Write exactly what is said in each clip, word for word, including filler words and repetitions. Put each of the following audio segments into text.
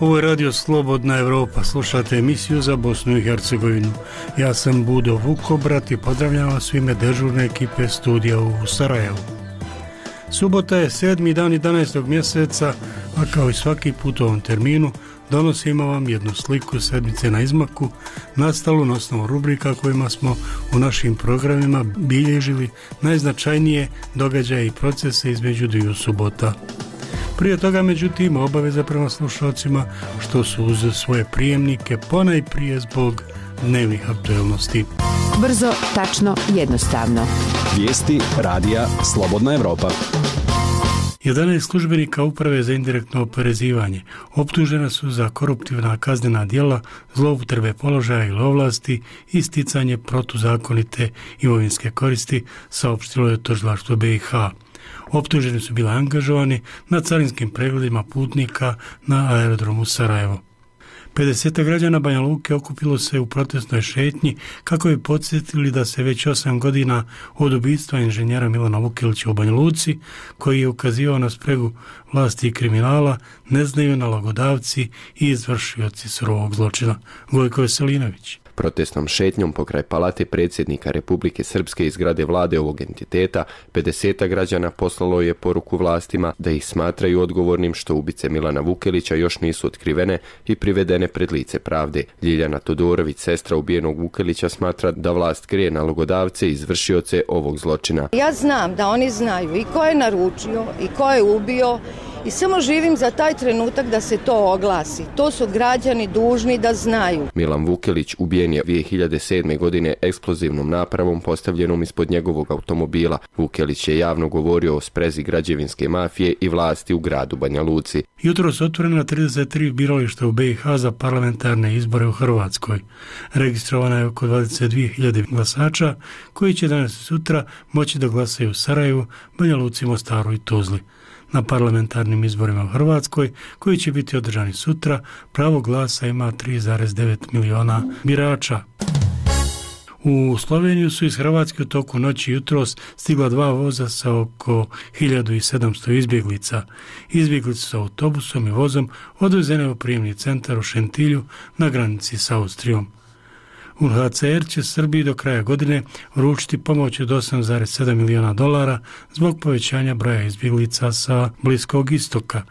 Ovo je Radio Slobodna Evropa, slušate emisiju za Bosnu i Hercegovinu. Ja sam Budo Vukobrat i pozdravljam vas u ime dežurne ekipe studija u Sarajevu. Subota je sedmi dan jedanaestog mjeseca, a kao i svaki put u ovom terminu donosimo vam jednu sliku sedmice na izmaku, nastalu na osnovu rubrika kojima smo u našim programima bilježili najznačajnije događaje i procese između dviju subota. Prije toga, međutim, obaveza prema slušalcima što su uz svoje prijemnike ponajprije zbog dnevnih aktuelnosti. Brzo, tačno, jednostavno. Vijesti radija Slobodna Evropa. jedanaest službenika Uprave za indirektno oporezivanje optužena su za koruptivna kaznena djela, zloupotrebe položaja ili ovlasti i sticanje protuzakonite imovinske koristi, saopštilo je tužilaštvo B i H. Optuženi su bili angažovani na carinskim pregledima putnika na aerodromu Sarajevo. pedeset građana Banja Luke okupilo se u protestnoj šetnji kako bi podsjetili da se već osam godina od ubistva inženjera Milana Vukelića u Banja Luci, koji je ukazivao na spregu vlasti i kriminala, ne znaju nalogodavci i izvršioci surovog zločina. Gojko Veselinović. Protestnom šetnjom pokraj palate predsjednika Republike Srpske i zgrade vlade ovog entiteta, pedeset građana poslalo je poruku vlastima da ih smatraju odgovornim što ubice Milana Vukelića još nisu otkrivene i privedene pred lice pravde. Ljiljana Todorović, sestra ubijenog Vukelića, smatra da vlast krije nalogodavce i izvršioce ovog zločina. Ja znam da oni znaju i ko je naručio i ko je ubio i samo živim za taj trenutak da se to oglasi. To su građani dužni da znaju. Milan Vukelić ubijen je dvije hiljade sedme. godine eksplozivnom napravom postavljenom ispod njegovog automobila. Vukelić je javno govorio o sprezi građevinske mafije i vlasti u gradu Banja Luci. Jutros otvorena trideset tri birališta u B i H za parlamentarne izbore u Hrvatskoj. Registrovana je oko dvadeset dvije hiljade glasača koji će danas i sutra moći da glasaju u Sarajevu, Banja Luci, Mostaru i Tuzli. Na parlamentarnim izborima u Hrvatskoj, koji će biti održani sutra, pravo glasa ima tri zarez devet miliona birača. U Sloveniju su iz Hrvatske u toku noći jutros stigla dva voza sa oko hiljadu sedamsto izbjeglica. Izbjeglice su autobusom i vozom odvezene u prijemni centar u Šentilju na granici s Austrijom. U H C R će Srbiji do kraja godine uručiti pomoć od osam zarez sedam miliona dolara zbog povećanja broja izbjeglica sa Bliskog istoka.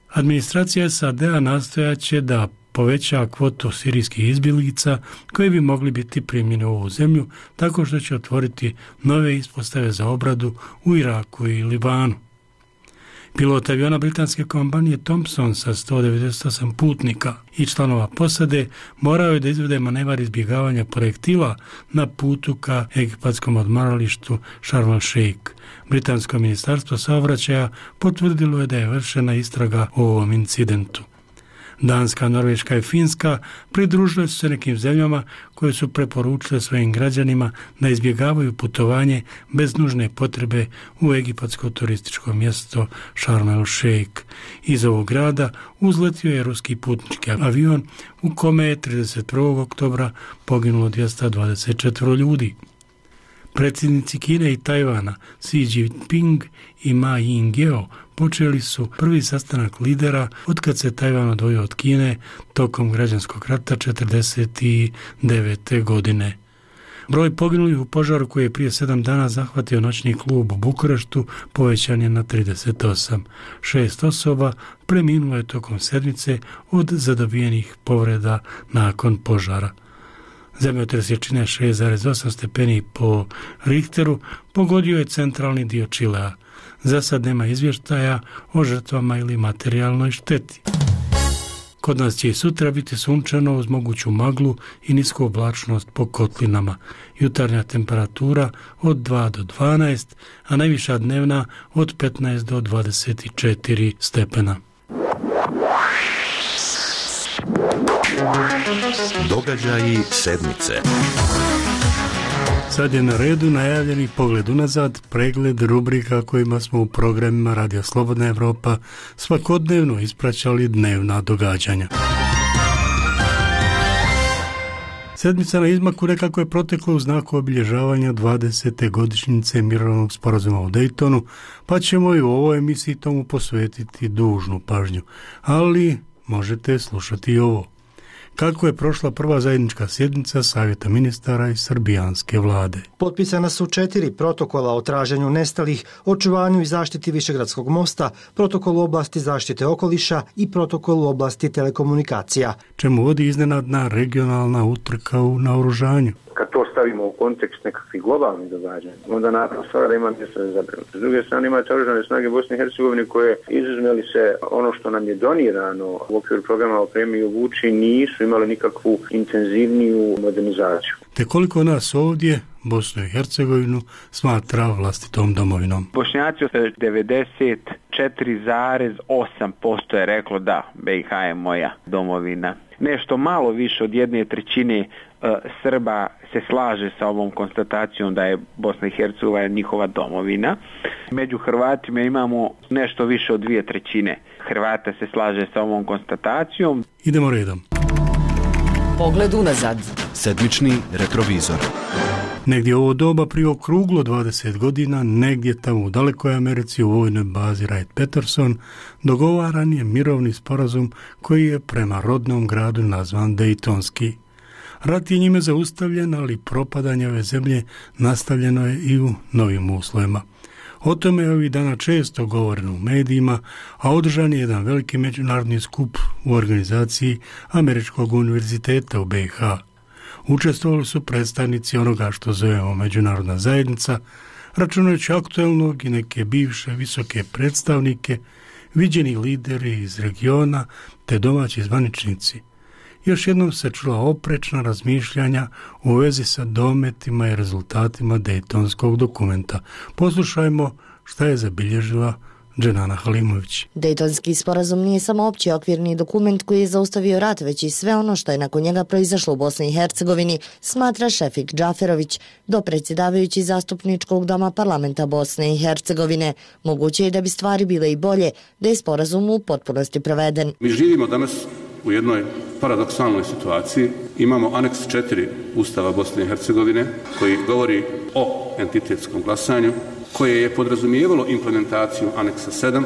Administracija S A D-a nastojaće da poveća kvotu sirijskih izbjeglica koji bi mogli biti primljeni u ovu zemlju tako što će otvoriti nove ispostave za obradu u Iraku i Libanu. Pilot aviona britanske kompanije Thompson sa sto devedeset osam putnika i članova posade morao je da izvede manevar izbjegavanja projektila na putu ka egipatskom odmaralištu Sharm el-Sheikh. Britansko ministarstvo saobraćaja potvrdilo je da je vršena istraga o ovom incidentu. Danska, Norveška i Finska pridružile su se nekim zemljama koje su preporučile svojim građanima da izbjegavaju putovanje bez nužne potrebe u egipatsko turističko mjesto Sharm el-Sheikh. Iz ovog grada uzletio je ruski putnički avion u kome je trideset prvog oktobra poginulo dvjesto dvadeset četiri ljudi. Predsjednici Kine i Tajvana Xi Jinping i Ma Ying-jeou počeli su prvi sastanak lidera otkad se Tajvan odvojio od Kine tokom građanskog rata četrdeset devete. godine. Broj poginulih u požaru koji je prije sedam dana zahvatio noćni klub u Bukureštu povećan je na trideset osam. Šest osoba preminulo je tokom sedmice od zadobijenih povreda nakon požara. Zemljotres jačine šest zarez osam stepeni po Richteru pogodio je centralni dio Čilea. Za sad nema izvještaja o žrtvama ili materijalnoj šteti. Kod nas će i sutra biti sunčano uz moguću maglu i nisku oblačnost po kotlinama. Jutarnja temperatura od dva do dvanaest, a najviša dnevna od petnaest do dvadeset četiri stepena. Događaji sedmice. Sad je na redu najavljeni pogled unazad, pregled rubrika kojima smo u programima Radio Slobodna Evropa svakodnevno ispraćali dnevna događanja. Sedmica na izmaku nekako je protekla u znaku obilježavanja dvadesete godišnjice mirovnog sporazuma u Daytonu, pa ćemo i u ovoj emisiji tomu posvetiti dužnu pažnju. Ali možete slušati i ovo. Kako je prošla prva zajednička sjednica Savjeta ministara i srbijanske vlade? Potpisana su četiri protokola o traženju nestalih, očuvanju i zaštiti Višegradskog mosta, protokol u oblasti zaštite okoliša i protokol u oblasti telekomunikacija. Čemu vodi iznenadna regionalna utrka u naoružanju? Kad to stavimo u kontekst nekakvih globalnih događanja, onda naravno stvar da ima mjesto za zabrinutost. S druge strane imate oružane snage Bosne i Hercegovine koje, izuzmeli se ono što nam je donirano u okviru programa Opremi i obuči, nisu imali nikakvu intenzivniju modernizaciju. Te koliko nas ovdje, Bosnu i Hercegovinu, smatra vlastitom domovinom? Bošnjaci devedeset četiri zarez osam posto je reklo da, B i H je moja domovina. Nešto malo više od jedne trećine uh, Srba se slaže sa ovom konstatacijom da je Bosna i Hercegovina njihova domovina. Među Hrvatima imamo nešto više od dvije trećine Hrvata se slaže sa ovom konstatacijom. Idemo redom. Pogled unazad. Sedmični retrovizor. Negdje ovo doba prije okruglo dvadeset godina, negdje tamo u dalekoj Americi u vojnoj bazi Wright-Patterson dogovaran je mirovni sporazum koji je prema rodnom gradu nazvan Dejtonski. Rat je njime zaustavljen, ali propadanje ove zemlje nastavljeno je i u novim uslovima. O tome je ovih dana često govoreno u medijima, a održan je jedan veliki međunarodni skup u organizaciji Američkog univerziteta u B i H. Učestvovali su predstavnici onoga što zovemo međunarodna zajednica, računajući aktualnog i neke bivše visoke predstavnike, viđeni lideri iz regiona te domaći zvaničnici. Još jednom se čula oprečna razmišljanja u vezi sa dometima i rezultatima Dejtonskog dokumenta. Poslušajmo šta je zabilježila Dženana Halimović. Dejtonski sporazum nije samo opći okvirni dokument koji je zaustavio rat, već i sve ono što je nakon njega proizašlo u Bosni i Hercegovini, smatra Šefik Džaferović, dopredsjedavajući zastupničkog doma parlamenta Bosne i Hercegovine. Moguće je da bi stvari bile i bolje, da je sporazum u potpunosti proveden. Mi živimo danas u jednoj paradoksalnoj situaciji. Imamo aneks četiri Ustava Bosne i Hercegovine koji govori o entitetskom glasanju, koje je podrazumijevalo implementaciju aneksa sedam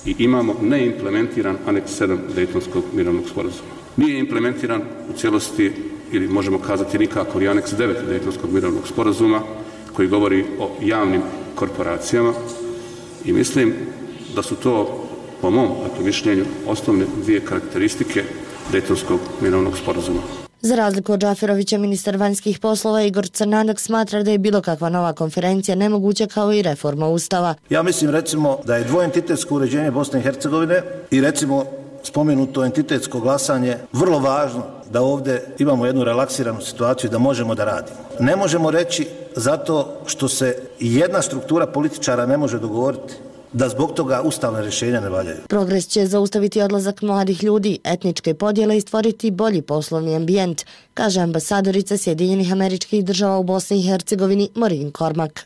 i imamo neimplementiran aneks sedam Dejtonskog mirovnog sporazuma. Nije implementiran u cijelosti, ili možemo kazati nikako, i aneks devet Dejtonskog mirovnog sporazuma koji govori o javnim korporacijama i mislim da su to, po mom dakle, mišljenju, osnovne dvije karakteristike Dejtonskog mirovnog sporazuma. Za razliku od Džaferovića, ministar vanjskih poslova Igor Crnanak smatra da je bilo kakva nova konferencija nemoguća kao i reforma Ustava. Ja mislim recimo da je dvoentitetsko uređenje Bosne i Hercegovine i recimo spomenuto entitetsko glasanje vrlo važno da ovdje imamo jednu relaksiranu situaciju da možemo da radimo. Ne možemo reći zato što se jedna struktura političara ne može dogovoriti da zbog toga ustavne rješenja ne valjaju. Progres će zaustaviti odlazak mladih ljudi, etničke podjele i stvoriti bolji poslovni ambijent, kaže ambasadorica Sjedinjenih Američkih Država u Bosni i Hercegovini Maureen Cormack.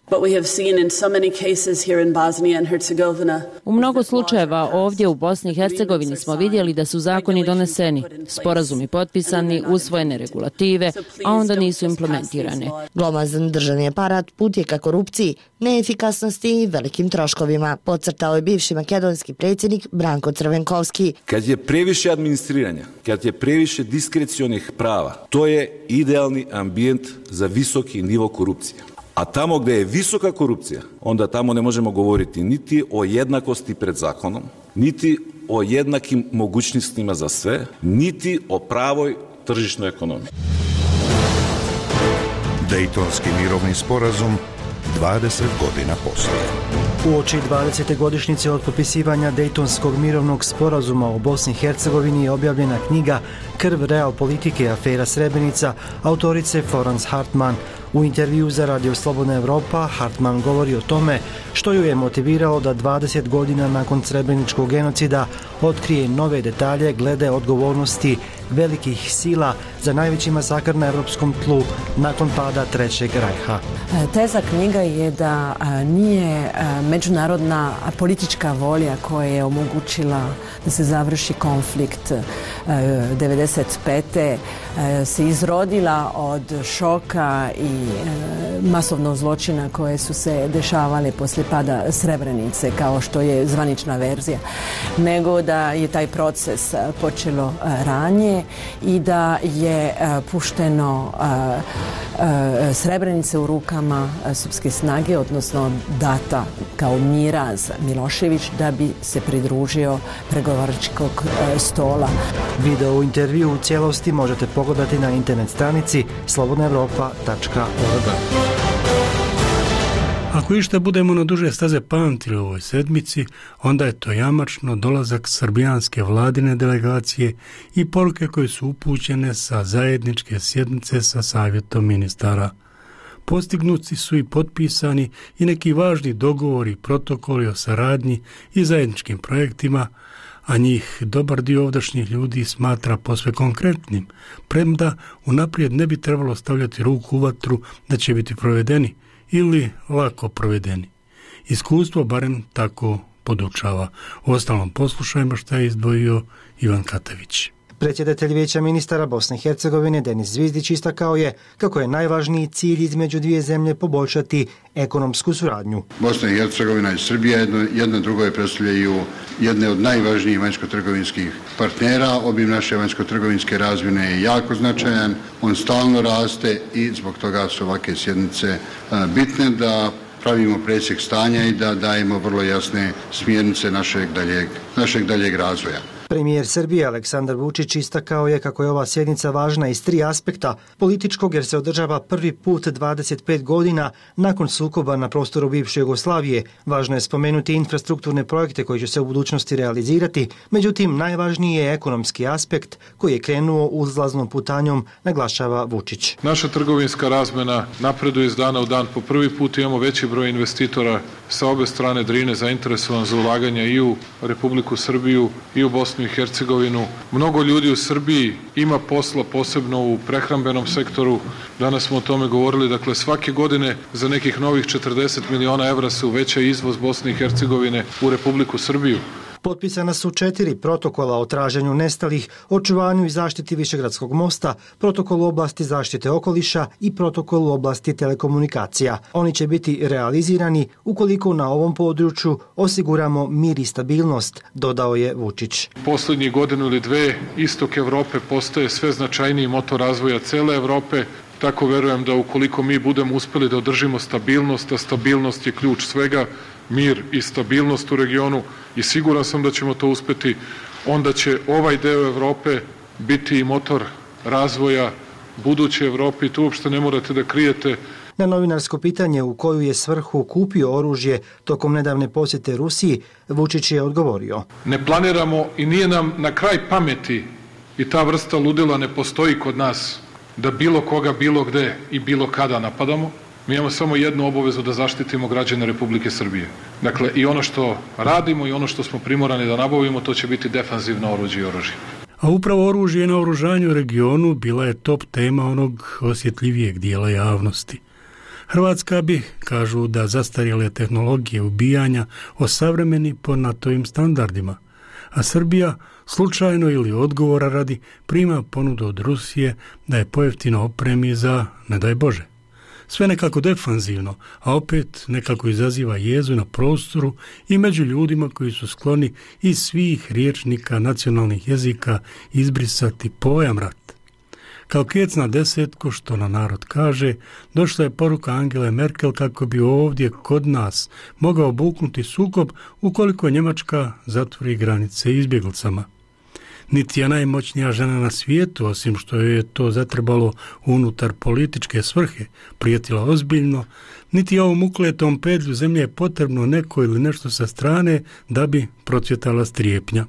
U mnogo slučajeva ovdje u Bosni i Hercegovini smo vidjeli da su zakoni doneseni, sporazumi potpisani, usvojene regulative, a onda nisu implementirane. Glomazan državni aparat put je ka korupciji, neefikasnosti i velikim troškovima, podcrtao je bivši makedonski predsjednik Branko Crvenkovski. Kad je previše administriranja, kad je previše diskrecionih prava, to je idealni ambijent za visoki nivo korupcije. A tamo gdje je visoka korupcija, onda tamo ne možemo govoriti niti o jednakosti pred zakonom, niti o jednakim mogućnostima za sve, niti o pravoj tržišnoj ekonomiji. Dejtonski mirovni sporazum dvadeset godina poslije. Uoči dvadesete godišnjice od potpisivanja Dejtonskog mirovnog sporazuma o Bosni i Hercegovini je objavljena knjiga Krv realpolitike afera Srebrenica autorice Florence Hartman. U intervju za Radio Slobodna Evropa Hartman govori o tome što ju je motiviralo da dvadeset godina nakon srebreničkog genocida otkrije nove detalje glede odgovornosti velikih sila za najveći masakr na europskom tlu nakon pada Trećeg rajha. Teza knjiga je da nije međunarodna politička volja koja je omogućila da se završi konflikt devedeset pete se izrodila od šoka i masovnog zločina koje su se dešavale poslije pada Srebrenice, kao što je zvanična verzija, nego da je taj proces počelo ranije i da je pušteno Srebrenice u rukama srpske snage, odnosno data kao miraz Milošević da bi se pridružio pregovaračkog stola. Video u intervju u cijelosti možete pogledati na internet stranici slobodna evropa tačka org. Ako išta budemo na duže staze pamtili u ovoj sedmici, onda je to jamačno dolazak srbijanske vladine delegacije i poruke koje su upućene sa zajedničke sjednice sa savjetom ministara. Postignuti su i potpisani i neki važni dogovori i protokoli o saradnji i zajedničkim projektima, a njih dobar dio ovdašnjih ljudi smatra posve konkretnim, premda unaprijed ne bi trebalo stavljati ruku u vatru da će biti provedeni ili lako provedeni. Iskustvo barem tako podučava. U ostalom poslušajmo šta je izdvojio Ivan Katavić. Predsjedatelj Vijeća ministara Bosne i Hercegovine Denis Zvizdić istakao je kako je najvažniji cilj između dvije zemlje poboljšati ekonomsku suradnju. Bosna i Hercegovina i Srbija jedno, jedno drugo je predstavljaju jedne od najvažnijih vanjsko-trgovinskih partnera. Obim naše vanjsko-trgovinske razmjene je jako značajan, on stalno raste i zbog toga su ovakve sjednice bitne da pravimo presjek stanja i da dajemo vrlo jasne smjernice našeg daljeg, našeg daljeg razvoja. Premijer Srbije Aleksandar Vučić istakao je kako je ova sjednica važna iz tri aspekta: političkog jer se održava prvi put dvadeset pet godina nakon sukoba na prostoru bivše Jugoslavije. Važno je spomenuti infrastrukturne projekte koji će se u budućnosti realizirati, međutim najvažniji je ekonomski aspekt koji je krenuo uzlaznom putanjom, naglašava Vučić. Naša trgovinska razmena napreduje iz dana u dan. Po prvi put imamo veći broj investitora sa obe strane Drine zainteresovan za ulaganja i u Republiku Srbiju i u Bosnu i Hercegovinu. Mnogo ljudi u Srbiji ima posla, posebno u prehrambenom sektoru. Danas smo o tome govorili. Dakle, svake godine za nekih novih četrdeset miliona evra se uveća izvoz Bosne i Hercegovine u Republiku Srbiju. Potpisana su četiri protokola o traženju nestalih, očuvanju i zaštiti Višegradskog mosta, protokol u oblasti zaštite okoliša i protokol u oblasti telekomunikacija. Oni će biti realizirani ukoliko na ovom području osiguramo mir i stabilnost, dodao je Vučić. Poslednjih godinu ili dve istok Evrope postaje sve značajniji motor razvoja cele Evrope. Tako verujem da ukoliko mi budemo uspeli da održimo stabilnost, a stabilnost je ključ svega, mir i stabilnost u regionu, i siguran sam da ćemo to uspeti, onda će ovaj deo Evrope biti i motor razvoja buduće Evrope i tu uopšte ne morate da krijete. Na novinarsko pitanje u koju je svrhu kupio oružje tokom nedavne posjete Rusiji, Vučić je odgovorio: Ne planiramo i nije nam na kraj pameti i ta vrsta ludila ne postoji kod nas da bilo koga, bilo gde i bilo kada napadamo. Mi imamo samo jednu obavezu, da zaštitimo građane Republike Srbije. Dakle, i ono što radimo i ono što smo primorani da nabavimo, to će biti defanzivno oruđe i oružje. A upravo oružje na oružanju u regionu bila je top tema onog osjetljivijeg dijela javnosti. Hrvatska bi, kažu, da zastarjele tehnologije ubijanja osavremeni po NATO-ovim standardima, a Srbija slučajno ili odgovora radi prima ponudu od Rusije da je pojeftino opremi za, ne daj Bože. Sve nekako defanzivno, a opet nekako izaziva jezu na prostoru i među ljudima koji su skloni iz svih riječnika nacionalnih jezika izbrisati pojam rat. Kao kec na desetku, što na narod kaže, došla je poruka Angele Merkel kako bi ovdje kod nas mogao buknuti sukob ukoliko Njemačka zatvori granice izbjeglicama. Niti je najmoćnija žena na svijetu, osim što je to zatrebalo unutar političke svrhe, prijetila ozbiljno, niti je ovom ukletom pedlju zemlje je potrebno neko ili nešto sa strane da bi procvjetala strijepnja.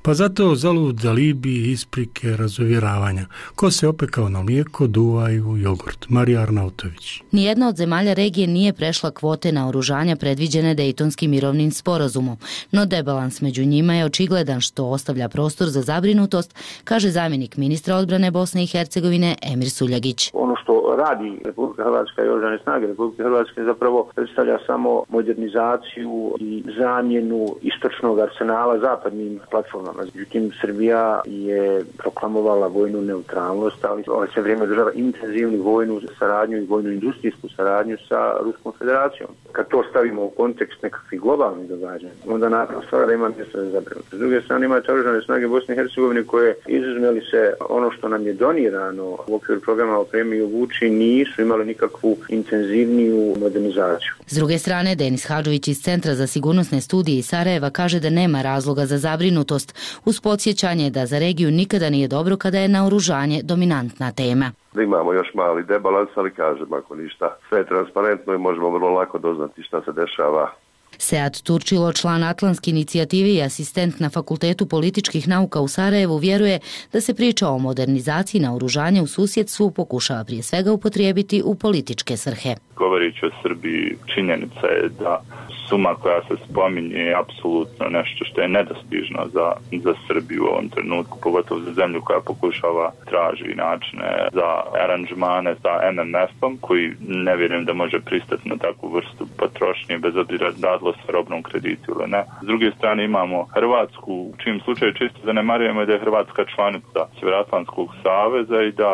Pa zato zalud alibi, isprike, razuvjeravanja. Ko se opekao na mlijeko, duvaju jogurt. Marija Arnautović. Nijedna od zemalja regije nije prešla kvote naoružanja predviđene Dejtonskim mirovnim sporazumom, no debalans među njima je očigledan što ostavlja prostor za zabrinutost, kaže zamjenik ministra odbrane Bosne i Hercegovine Emir Suljagić. Ono što radi Republika Hrvatska i oružane snage Republike Hrvatske zapravo predstavlja samo modernizaciju i zamjenu istočnog arsenala zapadnim platformama. Međutim, Srbija je proklamovala vojnu neutralnost, ali ove sve vrijeme država intenzivnu vojnu saradnju i vojnu industrijsku saradnju sa Ruskom federacijom. Kad to stavimo u kontekst nekakvih globalnih događanja, onda naravno stvara da ima mjesto za zabrinutost. S druge strane imate oružane snage Bosne i Hercegovine koje, izuzmeli se ono što nam je donirano u okviru programa Opremi i obuči, nisu imali nikakvu intenzivniju modernizaciju. S druge strane, Denis Hadžović iz Centra za sigurnosne studije iz Sarajeva kaže da nema razloga za zabrinutost, uz podsjećanje da za regiju nikada nije dobro kada je naoružanje dominantna tema. Da imamo još mali debalans, ali kažem, ako ništa, sve je transparentno i možemo vrlo lako doznati šta se dešava. Sead Turčilo, član Atlantske inicijative i asistent na Fakultetu političkih nauka u Sarajevu, vjeruje da se priča o modernizaciji naoružanja u susjedstvu pokušava prije svega upotrijebiti u političke svrhe. Govoreći o Srbiji, činjenica je da suma koja se spominje je apsolutno nešto što je nedostižno za, za Srbiju u ovom trenutku, pogotovo za zemlju koja pokušava traži načine za aranžmane sa M M F-om, koji ne vjerujem da može pristati na takvu vrstu potrošnje, bez obzira radilo se robnom kreditu ili ne. S druge strane imamo Hrvatsku, u čim slučaju čisto zanemarujemo da je Hrvatska članica Sjevernoatlantskog saveza i da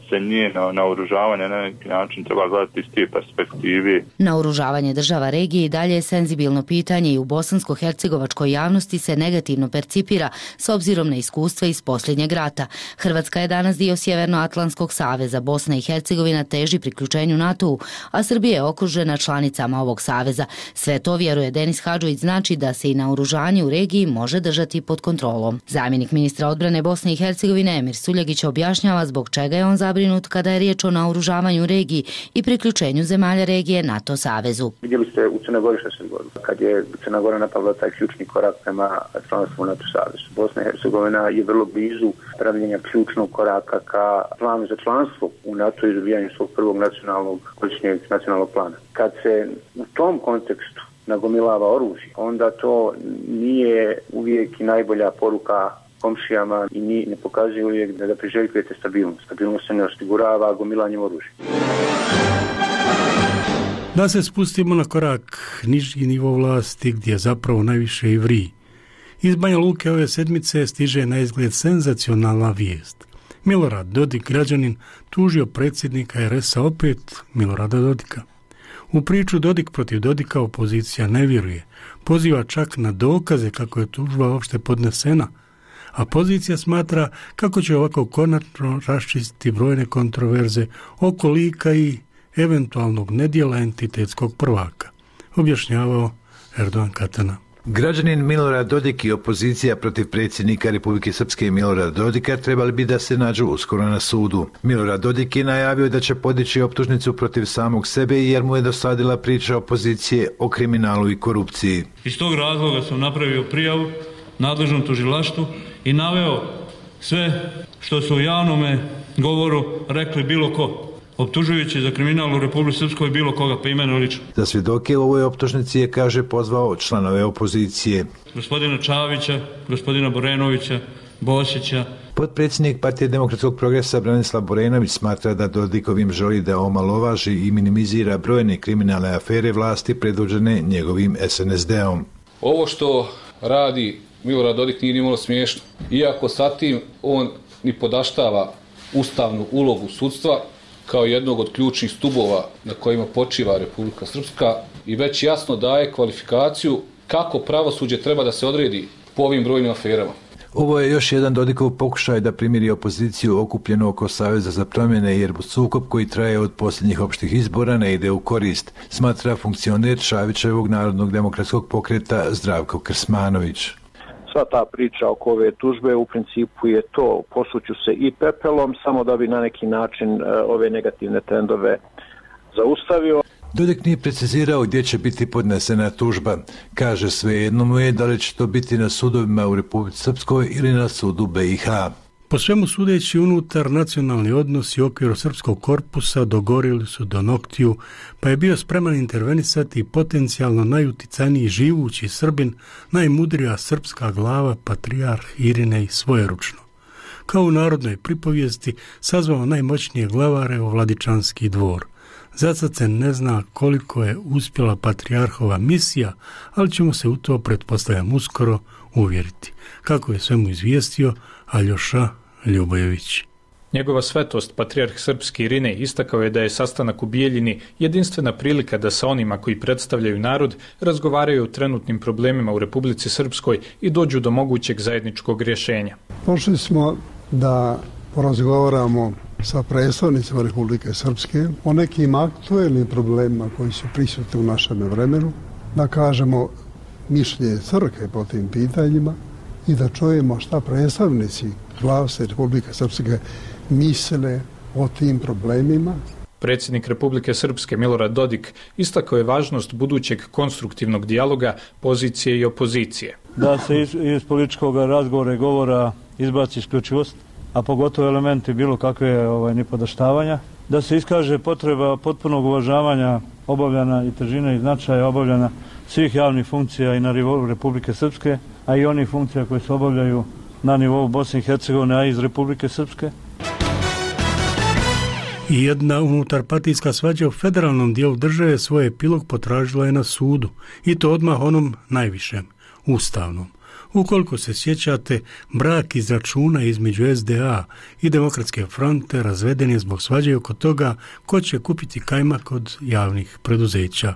se njeno naoružavanje na neki način treba gledati iz te perspektive. Naoružavanje država regije i dalje je senzibilno pitanje i u bosansko-hercegovačkoj javnosti se negativno percipira s obzirom na iskustva iz posljednjeg rata. Hrvatska je danas dio Sjevernoatlantskog saveza, Bosna i Hercegovina teži priključenju NATO-u, a Srbija je okružena članicama ovog saveza. Sve to, vjeruje Denis Hadžović, znači da se i naoružanje u regiji može držati pod kontrolom. Zamjenik ministra odbrane Bosne i Hercegovine Emir Suljagić objašnjava zbog čega je on zabrinut kada je riječ o naoružavanju regiji i priključenju zemalja regije NATO savezu. Vidjeli ste u Crnoj Gori što se dogodilo, kad je Crna Gora napravila taj ključni korak prema članstvu NATO savezu. Bosna i Hercegovina je vrlo blizu pravljenja ključnog koraka ka planu za članstvo u NATO i izbijanju svog prvog nacionalnog godišnjeg nacionalnog plana. Kad se u tom kontekstu nagomilava oružje, onda to nije uvijek i najbolja poruka komšijama i ni ne pokazuje uvijek da, da priželjkujete stabilnost. Stabilnost se ne osigurava gomilanjem oružja. Da se spustimo na korak niži nivo vlasti gdje zapravo najviše i vriji. Iz Banja Luke ove sedmice stiže na izgled senzacionalna vijest. Milorad Dodik, građanin, tužio predsjednika er es a opet Milorada Dodika. U priču Dodik protiv Dodika opozicija ne vjeruje. Poziva čak na dokaze kako je tužba uopšte podnesena, a pozicija smatra kako će ovako konačno raščistiti brojne kontroverze oko lika i eventualnog nedjela entitetskog prvaka, objašnjavao Erdogan Katana. Građanin Milorad Dodik i opozicija protiv predsjednika Republike Srpske Milorada Dodika trebali bi da se nađu uskoro na sudu. Milorad Dodik je najavio da će podići optužnicu protiv samog sebe jer mu je dosadila priča opozicije o kriminalu i korupciji. Iz tog razloga sam napravio prijavu nadležnom tužilaštvu i naveo sve što su u javnome govoru rekli bilo ko, optužujući za kriminal u Republici Srpskoj bilo koga pa imeno lično. Za svjedoke u ovoj optužnici je, kaže, pozvao članove opozicije. Gospodina Čavića, gospodina Borenovića, Bosića. Potpredsjednik Partije demokratskog progresa Branislav Borenović smatra da Dodikovim želi da omalovaži i minimizira brojne kriminalne afere vlasti predvođene njegovim es en es de-om. Ovo što radi Milorad Dodik nije nimalo smiješno. Iako sa tim on ni podaštava ustavnu ulogu sudstva kao jednog od ključnih stubova na kojima počiva Republika Srpska i već jasno daje kvalifikaciju kako pravosuđe treba da se odredi po ovim brojnim aferama. Ovo je još jedan Dodikov pokušaj da primiri opoziciju okupljenu oko Saveza za promjene jer sukob koji traje od posljednjih opštih izbora ne ide u korist, smatra funkcioner Šavićevog narodnog demokratskog pokreta Zdravko Krsmanović. Sva ta priča oko ove tužbe u principu je to, posuću se i pepelom samo da bi na neki način ove negativne trendove zaustavio. Dodik nije precizirao gdje će biti podnesena tužba. Kaže, svejedno mu je da li će to biti na sudovima u Republici Srpskoj ili na sudu B i H. Po svemu sudeći, unutar nacionalni odnosi u okviru srpskog korpusa dogorili su do noktiju, pa je bio spreman intervenisati potencijalno najuticajniji živući Srbin, najmudrija srpska glava, patrijarh Irinej svojeručno. Kao u narodnoj pripovijesti sazvao najmoćnije glavare u Vladičanski dvor. Zacad se ne zna koliko je uspjela patrijarhova misija, ali ćemo se u to, pretpostavljam, uskoro uvjeriti. Kako je svemu izvijestio Aljoša Ljubojević. Njegova svetost, patrijarh srpski Irinej, istakao je da je sastanak u Bijeljini jedinstvena prilika da sa onima koji predstavljaju narod razgovaraju o trenutnim problemima u Republici Srpskoj i dođu do mogućeg zajedničkog rješenja. Došli smo da porazgovaramo sa predstavnicima Republike Srpske o nekim aktuelnim problemima koji su prisutni u našem vremenu, da kažemo mišljenje crkve po tim pitanjima i da čujemo šta predstavnici vlasti Republike Srpske misle o tim problemima. Predsjednik Republike Srpske Milorad Dodik istakao je važnost budućeg konstruktivnog dijaloga pozicije i opozicije. Da se iz, iz političkog razgovora i govora izbaci isključivost, a pogotovo elementi bilo kakve ovaj, nipodaštavanja, da se iskaže potreba potpunog uvažavanja obavljana i težine i značaja obavljana svih javnih funkcija i na nivou Republike Srpske, a i onih funkcija koje se obavljaju na nivou Bosne i Hercegovine, a iz Republike Srpske. I jedna unutarpartijska svađa u federalnom dijelu države svoj epilog potražila je na sudu, i to odmah onom najvišem, ustavnom. Ukoliko se sjećate, brak iz računa između S D A i Demokratske fronte razveden je zbog svađe oko toga ko će kupiti kajmak od javnih preduzeća.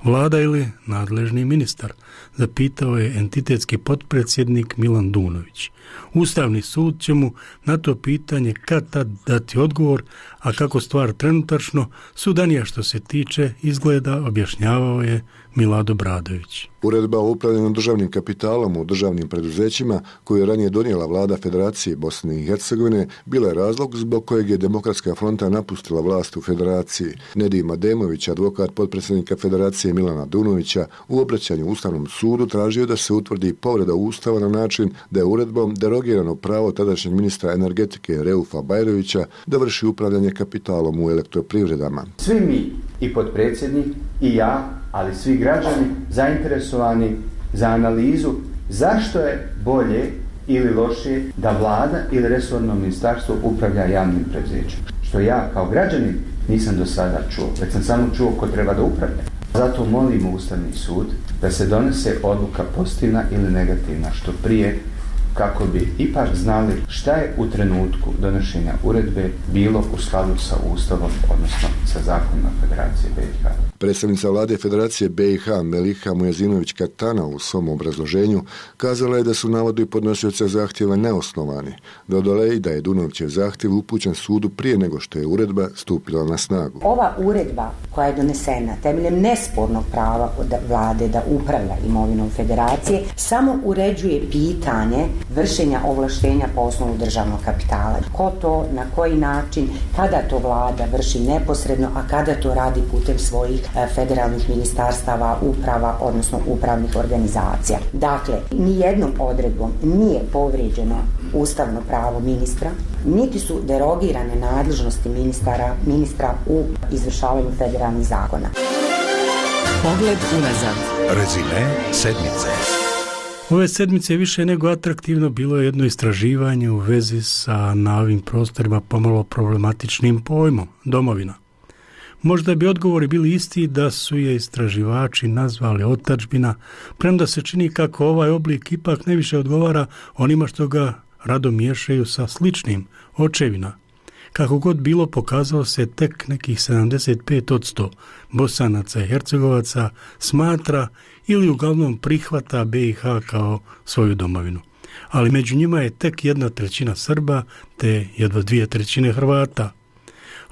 Vlada ili nadležni ministar, zapitao je entitetski potpredsjednik Milan Dunović. Ustavni sud će mu na to pitanje kad tad dati odgovor, a kako stvar trenutačno sudanija što se tiče izgleda, objašnjavao je Milado Bradović. Uredba o upravljanju državnim kapitalom u državnim preduzećima koju je ranije donijela vlada Federacije Bosne i Hercegovine bila je razlog zbog kojeg je Demokratska fronta napustila vlast u Federaciji. Nedim Ademović, advokat potpredsjednika Federacije Milana Dunovića, u obraćanju Ustavnom sudu tražio da se utvrdi povreda Ustava na način da je uredbom derogirano pravo tadašnjeg ministra energetike Reufa Bajrovića da vrši upravljanje kapitalom u elektroprivredama. Svi mi, i potpredsjednik, i ja, ali svi građani zainteresovani za analizu zašto je bolje ili lošije da vlada ili resorno ministarstvo upravlja javnim preduzećem. Što ja kao građanin nisam do sada čuo, već sam samo čuo ko treba da upravlja. Zato molimo Ustavni sud da se donese odluka pozitivna ili negativna što prije, kako bi ipak znali šta je u trenutku donošenja uredbe bilo u skladu sa Ustavom, odnosno sa zakonima Federacije B i H. Predstavnica vlade Federacije B i H Meliha Mujazinović-Katana u svom obrazloženju kazala je da su navodi podnosioca zahtjeva neosnovani. Dodala je i da je Dunovićev zahtjev upućen sudu prije nego što je uredba stupila na snagu. Ova uredba koja je donesena temeljem nespornog prava od vlade da upravlja imovinom Federacije samo uređuje pitanje vršenja ovlaštenja po osnovu državnog kapitala. Ko to, na koji način, kada to vlada vrši neposredno, a kada to radi putem svojih federalnih ministarstava, uprava, odnosno upravnih organizacija. Dakle, nijednom odredbom nije povrijeđeno ustavno pravo ministra, niti su derogirane nadležnosti ministara, ministra u izvršavanju federalnih zakona. Pogled unazad. Rezime sedmice. Ove sedmice više nego atraktivno bilo je jedno istraživanje u vezi sa na ovim prostorima pomalo problematičnim pojmom domovina. Možda bi odgovori bili isti da su je istraživači nazvali otadžbina, premda se čini kako ovaj oblik ipak najviše odgovara onima što ga rado miješaju sa sličnim očevina. Kako god bilo, pokazalo se tek nekih sedamdeset pet posto Bosanaca i Hercegovaca smatra ili uglavnom prihvata B i H kao svoju domovinu. Ali među njima je tek jedna trećina Srba te jedva dvije trećine Hrvata.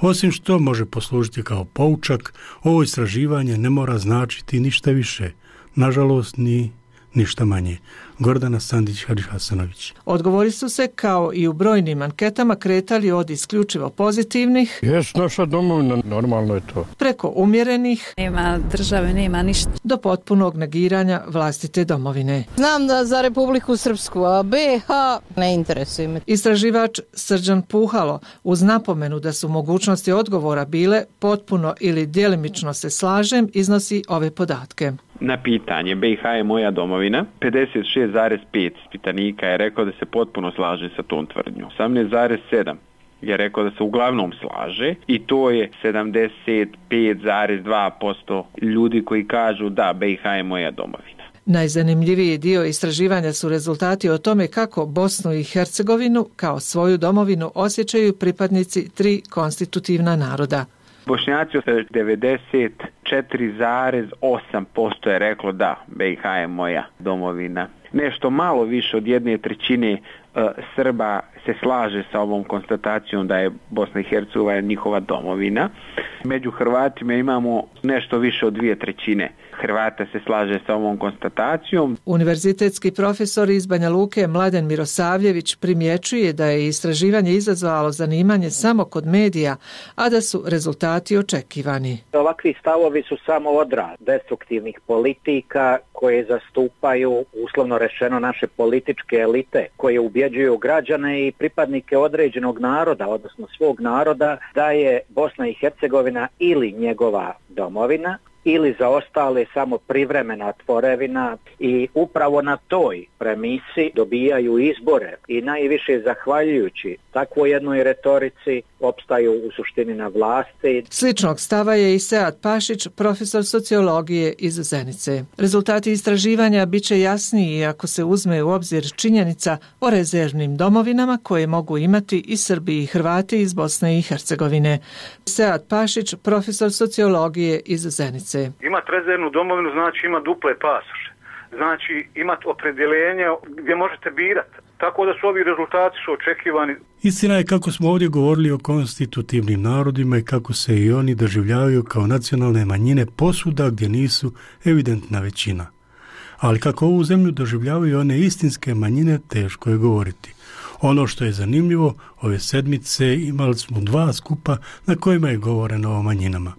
Osim što može poslužiti kao poučak, ovo istraživanje ne mora značiti ništa više, nažalost ni ništa manje. Gordana Sandić-Hadži-Hasanović. Odgovori su se, kao i u brojnim anketama, kretali od isključivo pozitivnih, jes naša domovina, normalno je to, preko umjerenih, nema države, nema ništa, do potpunog negiranja vlastite domovine. Znam da za Republiku Srpsku, a B i H ne interesuje me. Istraživač Srđan Puhalo, uz napomenu da su mogućnosti odgovora bile potpuno ili djelimično se slažem, iznosi ove podatke. Na pitanje B i H je moja domovina, pedeset šest zarez pet ispitanika je rekao da se potpuno slaže sa tom tvrdnjom. osamnaest zarez sedam je rekao da se uglavnom slaže i to je sedamdeset pet zarez dva posto ljudi koji kažu da B i H je moja domovina. Najzanimljiviji dio istraživanja su rezultati o tome kako Bosnu i Hercegovinu kao svoju domovinu osjećaju pripadnici tri konstitutivna naroda. Bošnjaci devedeset četiri zarez osam posto je reklo da B i H je moja domovina. Nešto malo više od jedne trećine uh, Srba se slaže sa ovom konstatacijom da je Bosna i Hercegovina njihova domovina. Među Hrvatima imamo nešto više od dvije trećine Hrvata se slaže sa ovom konstatacijom. Univerzitetski profesor iz Banja Luke Mladen Mirosavljević primjećuje da je istraživanje izazvalo zanimanje samo kod medija, a da su rezultati očekivani. Ovakvi stavovi su samo odraz destruktivnih politika koje zastupaju, uslovno rečeno, naše političke elite, koje ubjeđuju građane i pripadnike određenog naroda, odnosno svog naroda, da je Bosna i Hercegovina ili njegova domovina, ili za ostale samo privremena tvorevina, i upravo na toj premisi dobijaju izbore i najviše zahvaljujući takvoj jednoj retorici opstaju u suštini na vlasti. Sličnog stava je i Sead Pašić, profesor sociologije iz Zenice. Rezultati istraživanja bit će jasniji ako se uzme u obzir činjenica o rezervnim domovinama koje mogu imati i Srbi i Hrvati iz Bosne i Hercegovine. Sead Pašić, profesor sociologije iz Zenice. Imati rezervnu domovinu znači ima duple pasoše, znači imati opredjeljenje gdje možete birati. Tako da su ovi rezultati su očekivani. Istina je kako smo ovdje govorili o konstitutivnim narodima i kako se i oni doživljavaju kao nacionalne manjine posuda gdje nisu evidentna većina. Ali kako ovu zemlju doživljavaju one istinske manjine, teško je govoriti. Ono što je zanimljivo, ove sedmice imali smo dva skupa na kojima je govoreno o manjinama.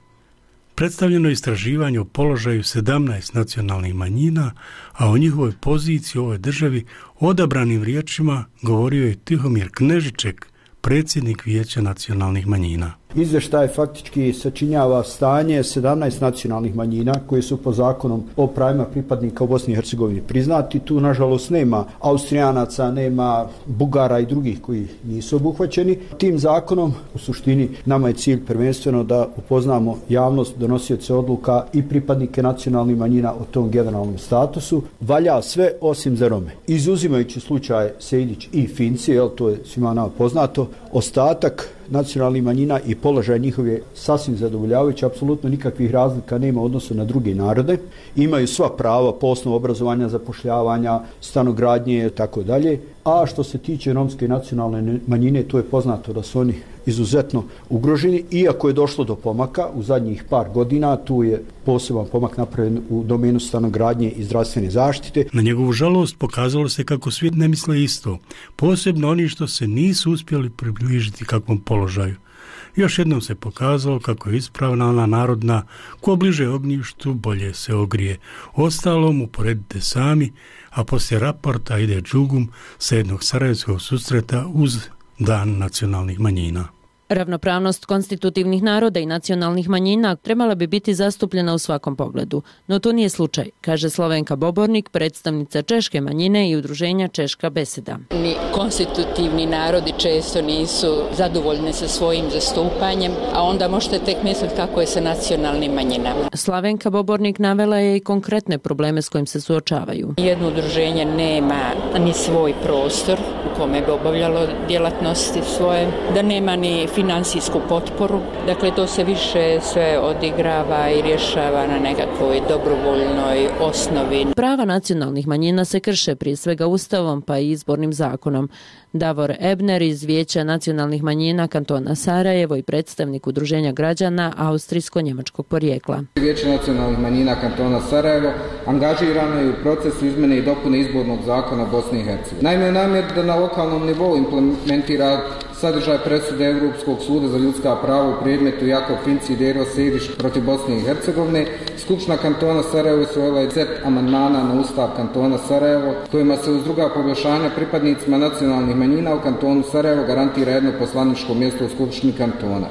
Predstavljeno je istraživanje o položaju sedamnaest nacionalnih manjina, a o njihovoj poziciji u ovoj državi odabranim riječima govorio je Tihomir Knežiček, predsjednik Vijeća nacionalnih manjina. Izvještaj faktički sačinjava stanje sedamnaest nacionalnih manjina koje su po zakonom o pravima pripadnika u Bosni i Hercegovini priznati. Tu nažalost nema Austrijanaca, nema Bugara i drugih koji nisu obuhvaćeni. Tim zakonom u suštini nama je cilj prvenstveno da upoznamo javnost, donosioce odluka i pripadnike nacionalnih manjina o tom generalnom statusu. Valja sve osim za Rome. Izuzimajući slučaj Sejdić i Finci, jel, to je svima nama poznato, ostatak nacionalnih manjina i položaj njihov je sasvim zadovoljavajući, apsolutno nikakvih razlika nema u odnosu na druge narode. Imaju sva prava po osnovu obrazovanja, zapošljavanja, stanogradnje i tako dalje. A što se tiče romske nacionalne manjine, to je poznato da su oni izuzetno ugroženi, iako je došlo do pomaka u zadnjih par godina, tu je poseban pomak napravljen u domenu stanogradnje i zdravstvene zaštite. Na njegovu žalost pokazalo se kako svijet ne misle isto, posebno oni što se nisu uspjeli približiti kakvom položaju. Još jednom se pokazalo kako je ispravna ona narodna, ko bliže ognjištu bolje se ogrije. Ostalom uporedite sami, a poslije raporta ide džugum sa jednog sarajevskog susreta uz Dan nacionalnih manjina. Ravnopravnost konstitutivnih naroda i nacionalnih manjina trebala bi biti zastupljena u svakom pogledu, no to nije slučaj, kaže Slovenka Bobornik, predstavnica češke manjine i udruženja Češka beseda. Ni konstitutivni narodi često nisu zadovoljni sa svojim zastupanjem, a onda možete tek misliti kako je sa nacionalnim manjinama. Slovenka Bobornik navela je i konkretne probleme s kojim se suočavaju. Jedno udruženje nema ni svoj prostor u kome bi obavljalo djelatnosti svoje, da nema ni finansijske finansijsku potporu. Dakle, to se više sve odigrava i rješava na nekakvoj dobrovoljnoj osnovi. Prava nacionalnih manjina se krše prije svega Ustavom pa i izbornim zakonom. Davor Ebner iz Vijeća nacionalnih manjina kantona Sarajevo i predstavnik Udruženja građana austrijsko-njemačkog porijekla. Vijeće nacionalnih manjina kantona Sarajevo angažirano je u procesu izmjene i dopune izbornog zakona Bosne i Hercegovine. Naime, namjer da na lokalnom nivou implementira sadržaj presude Europskog suda za ljudska prava u predmetu Jakov Finci i Dero Sejdić protiv Bosne i Hercegovine, Skupština kantona Sarajevo usvojila je set amandmana na Ustav kantona Sarajevo, kojima se uz druga poboljšanja pripadnicima nacionalnih manjina u kantonu Sarajevo garantira jedno poslaničko mjesto u Skupštini kantona.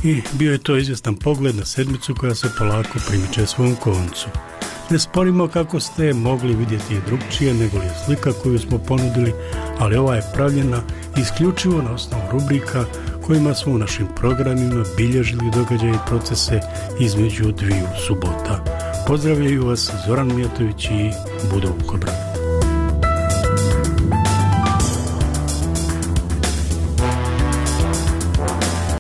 I bio je to izvjestan pogled na sedmicu koja se polako primiče svom koncu. Ne sporimo kako ste mogli vidjeti i drugčije nego li je slika koju smo ponudili, ali ova je pravljena isključivo na osnovu rubrika kojima smo u našim programima bilježili događaje i procese između dviju subota. Pozdravljaju vas Zoran Mijatović i Budo Vukobran.